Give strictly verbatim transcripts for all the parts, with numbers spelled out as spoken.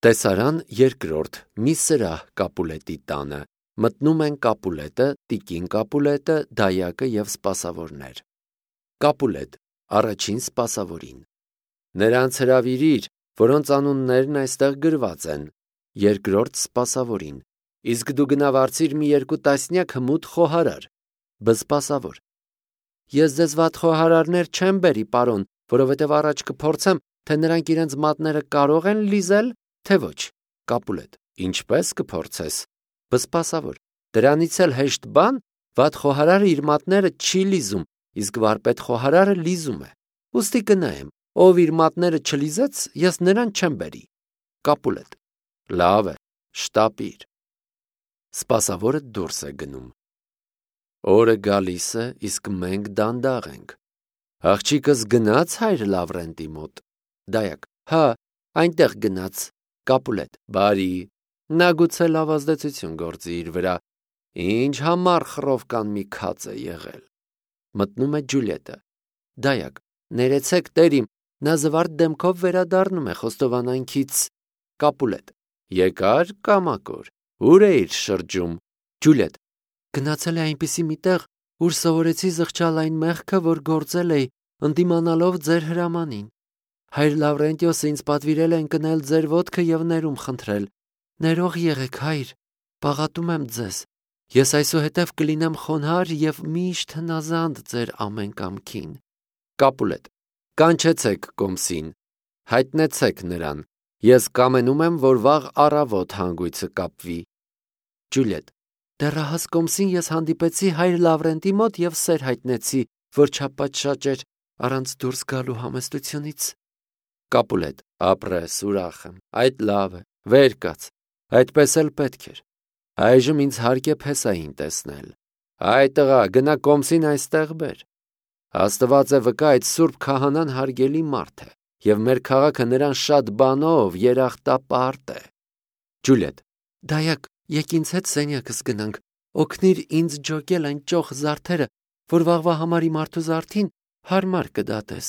Տեսարան երկրորդ մի սրահ Կապուլետի տանը, մտնում են Կապուլետը, տիկին Կապուլետը, դայակը և սպասավորներ։ Կապուլետ առաջին սպասավորին. նրանց հրավիրիր, որոնց անուններն այստեղ գրված են, երկրորդ սպասավորին. իսկ դու գնա վարձիր մի երկու տասնյակ հմուտ խոհարար։ Բսպասավոր. ես ձեզ վատ խոհարարներ չեմ բերի, պարոն, որովհետև առաջ կփորձեմ, թե նրանք իրենց մատները կարող են լիզել, թե ոչ։ Կապուլետ. ինչպես կփորձես։ Բսպասավոր. դրանից էլ հեշտ բան, վատ խոհարարը իր մատները չի լիզում, իսկ վարպետ խոհարարը լիզում է։ Ուստի կնայեմ, ով իր մատները չլիզեց, ես նրան չեմ բերի։ Կապուլետ. լավ է, շտապիր։ Սպասավորը դուրս է գնում։ Օրը գալիս է, իսկ մենք դանդաղ ենք։ Աղջիկս գնաց հայր Լավրենտի մոտ։ Դայակ. հա, այնտեղ գնաց։ Կապուլետ. բարի, նա գուցե լավ ազդեցություն գործի իր վրա։ Ինչ համառ խռովկան մի քած է եղել։ Մտնում է Ջուլիետը։ Դայակ. ներեցեք տեր իմ, նա զվարթ դեմքով վերադառնում է խոստովանանքից։ Կապուլետ. եկար կամակոր, ուր էիր շրջում։ Ջուլիետ. գնացել է այնպիսի մի տեղ, ուր սովորեցի զղջալ այն մեղքը, որ գործել էի, ընդդիմանալով ձեր հրամանին։ Հայր Լավրենտիոսը ինձ պատվիրել է ընկնել ձեր ոտքը և ներում խնդրել։ Ներող եղեք, հայր, պաղատում եմ ձեզ։ Ես այսուհետև կլինեմ խոնարհ և միշտ հնազանդ ձեր ամեն կամքին։ Կապուլետ. կանչեցեք կոմսին, հայտնեցեք նրան։ Ես կամենում եմ, որ վաղ առավոտ հանգույցը կապվի։ Ջուլիետ. դեռահաս կոմսին ես հանդիպեցի հայր Լավրենտի մոտ և սեր հայտնեցի, որ չապատշաճ էր առանց դուրս գալու համեստությունից։ Կապուլետ. ապրես, ուրախ եմ, այդ լավ է, վեր կաց, այդպես էլ պետք էր։ Այժմ ինձ հարկ է Փեսային տեսնել։ Այ տղա, գնա կոմսին այստեղ բեր։ Աստված է վկա, այդ սուրբ քահանան հարգելի մարդ է, և մեր քաղաքը նրան շատ բանով երախտապարտ է։ Ջուլիետ. դայակ, եկ ինձ հետ սենյակս գնանք, օգնիր ինձ ջոկել այն ճոխ զարդերը, որ վաղվա համար իմ արթու զարդին հարմար կդատես։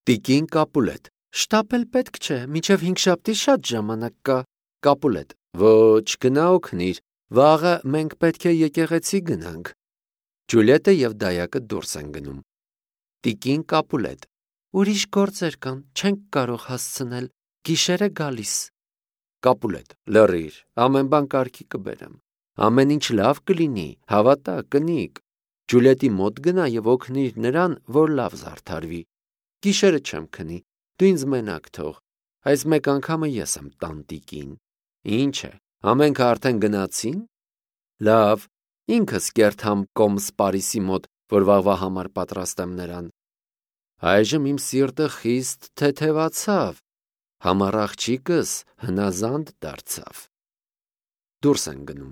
Տիկին Կապուլետ. շտապել պետք չէ, մինչև հինգշաբթի շատ ժամանակ կա։ Կապուլետ. ոչ, գնա օգնիր, վաղը մենք պետք է եկեղեցի գնանք։ Ջուլիետը և դայակը դուրս են գնում։ Տիկին Կապուլետ. ուրիշ գործեր կան, չենք կարող հասցնել, գիշեր է գալիս։ Կապուլետ. լռիր, ամեն բան կարգի կբերեմ։ Ամեն ինչ լավ կլինի, հավատա, կնիկ։ Ջուլիետի մոտ գնա և օգնիր նրան, որ լավ զարդարվի։ Գիշերը չեմ քնի, դու ինձ մենակ թող, այս մեկ անգամը ես եմ տանտիկին։ Ինչ է, ամենքը արդեն գնացին։ Լավ, ինքս կերթամ կոմս Պարիսի մոտ, որ վաղվա համար պատրաստեմ նրան։ Այժմ իմ սիրտը խիստ թեթևացավ, համառ աղջիկս հնազանդ դարձավ։ Դուրս են գնում։